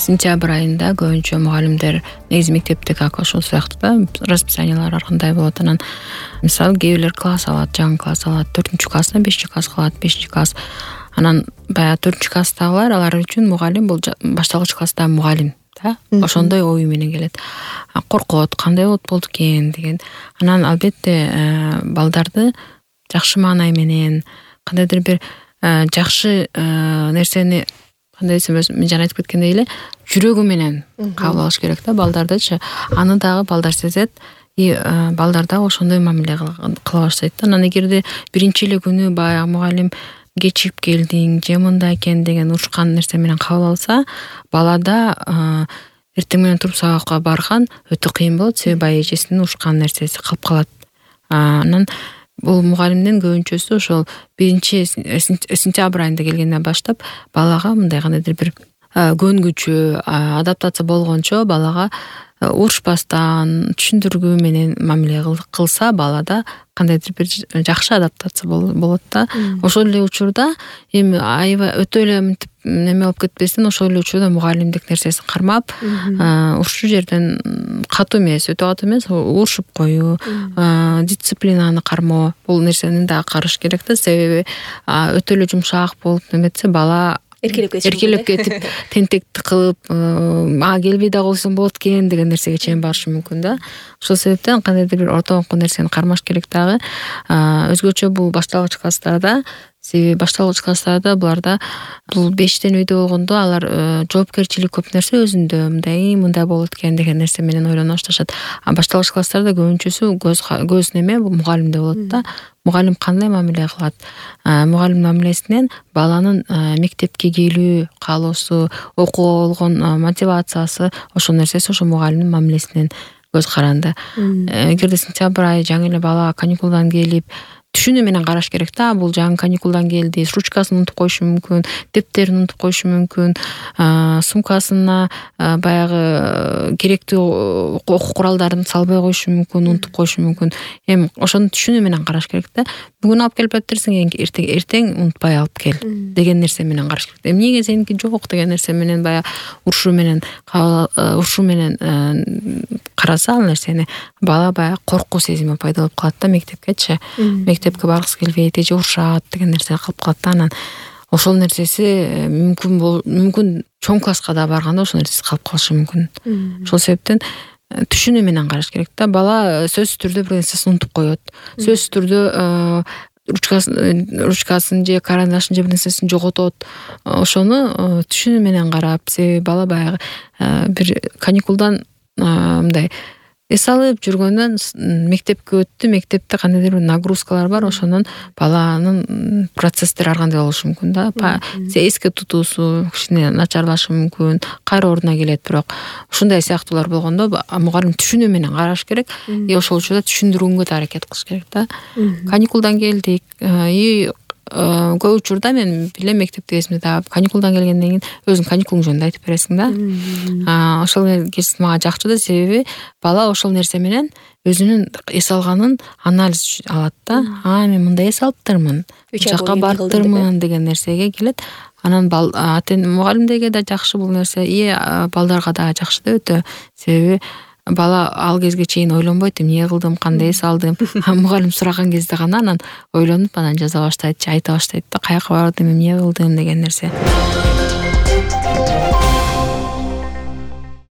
сентябрь айында көбүнчө мугалимдер негизи мектепте как ошол сыяктуу да расписаниялар ар кандай болот. Анан мисалы кээ бирлер класс алат, жаңы класс алат, 4-класстан 5-класс кылат, 5-класс. Анан баягы 4-класстагылар алар үчүн мугалим бул башталгыч класстагы мугалим да. Ошондой ой менен келет. Коркот, кандай болду экен деген. Анан албетте балдарды жакшы маанай менен кандайдыр бир жакшы нерсени кандай десем, мен жана айтып кеткендей эле жүрөгү менен кабыл алыш керек да балдардычы. Аны дагы балдар сезет, балдар дагы ошондой мамиле кыла баштайт да. Анан эгерде биринчи эле күнү баягы мугалим кечигип келдиң же мындай экен деген урушкан нерсе менен кабыл алса, балада эртең менен туруп сабакка барган өтө кыйын болот, себеби баягы эжесинин урушкан нерсеси калып калат. Анан бул мугалимдин көбүнчөсү ошол 1-сентябрь айында келгенден баштап балага мындай кандайдыр бир көнгүчө, адаптация болгончо балага урушпастан, түшүндүргүү менен мамиле кылса, балада кандайдыр бир жакшы адаптация болот да. Ошол эле учурда эми аябай өтө эле мынтип неме болуп кетпестен, ошол эле учурда мугалимдик нерсесин кармап, ушул жерден катуу эмес, өтө катуу эмес, урушуп коюу, дисциплинаны кармоо, бул нерсени дагы караш керек да. Себеби өтө эле жумшак болуп неметсе, бала эркелеп кетип, тентекти кылып, келбей да койсом болот экен деген нерсеге чейин барышы мүмкүн да. Ошол себептен кандайдыр бир ортоңку нерсени кармаш керек дагы. Өзгөчө бул башталгыч класстарда, себеби башталгыч класстарда буларда бул 5тен үйдө болгондо алар жоопкерчилик көп нерсе өзүндө, мындай болот экен деген нерсе менен ойлоно башташат. Башталгыч класстарда көбүнчөсү көз неме мугалимде болот да. Мугалим кандай мамиле кылат? Мугалим мамилесинен баланын мектепке келүү каалоосу, окууга болгон мотивациясы, ошол нерсеси ошо мугалимдин мамилесинен көз каранды. Эгерде сентябрь айы жаңы эле бала каникулдан келип, түшүнүү менен караш керек да. Бул жаңы каникулдан келди, ручкасын унутуп коюшу мүмкүн, дептерин унутуп коюшу мүмкүн, сумкасына баягы керектүү окуу куралдарын салбай коюшу мүмкүн, унутуп коюшу мүмкүн. Эми ошону түшүнүү менен караш керек да. Бүгүн алып келип жатырсың, эртең унутпай алып кел деген нерсе менен караш керек. Эмнеге сеники жок деген нерсе менен баягы урушу менен караса ал нерсени, бала баягы коркуу сезими пайда болуп калат да мектепкечи. Мектепке баргысы келбейт, эже урушат деген нерсе калып калат да. Анан ошол нерсеси мүмкүн чоң класска да барганда ошол нерсеси калып калышы мүмкүн. Ошол себептен түшүнүү менен караш керек да. Бала сөзсүз түрдө бир нерсесин унутуп коет. Сөзсүз түрдө ручкасын же карандашын же бир нерсесин жоготот. Ошону түшүнүү менен карап, себеби бала баягы бир каникулдан мындай эс алып жүргөндөн мектепке өттү, мектепте кандайдыр бир нагрузкалар бар, ошонун баланын процесстери ар кандай болушу мүмкүн да. Эске тутуусу кичине начарлашы мүмкүн, кайра ордуна келет, бирок ушундай сыяктуулар болгондо мугалим түшүнүү менен караш керек. Ошол учурда түшүндүрүүгө да аракет кылыш керек да. Каникулдан келдик, көп учурда мен билем мектепте кезимде дагы каникулдан келгенден кийин өзүң каникулуң жөнүндө айтып бересиң да. Ошол нерсе мага жакчу да, себеби бала ошол нерсе менен өзүнүн эс алганын анализ алат да. Мен мындай эс алыптырмын, бул жака барыптырмын деген нерсеге келет. Анан мугалимдерге да жакшы бул нерсе, балдарга да жакшы да өтө. Себеби бала ал кезге чейин ойлонбойт, эмне кылдым, кандай эс алдым. Мугалим сураган кезде гана анан ойлонуп анан жаза баштайт, айта баштайт да, каяка бардым, эмне кылдым деген нерсе.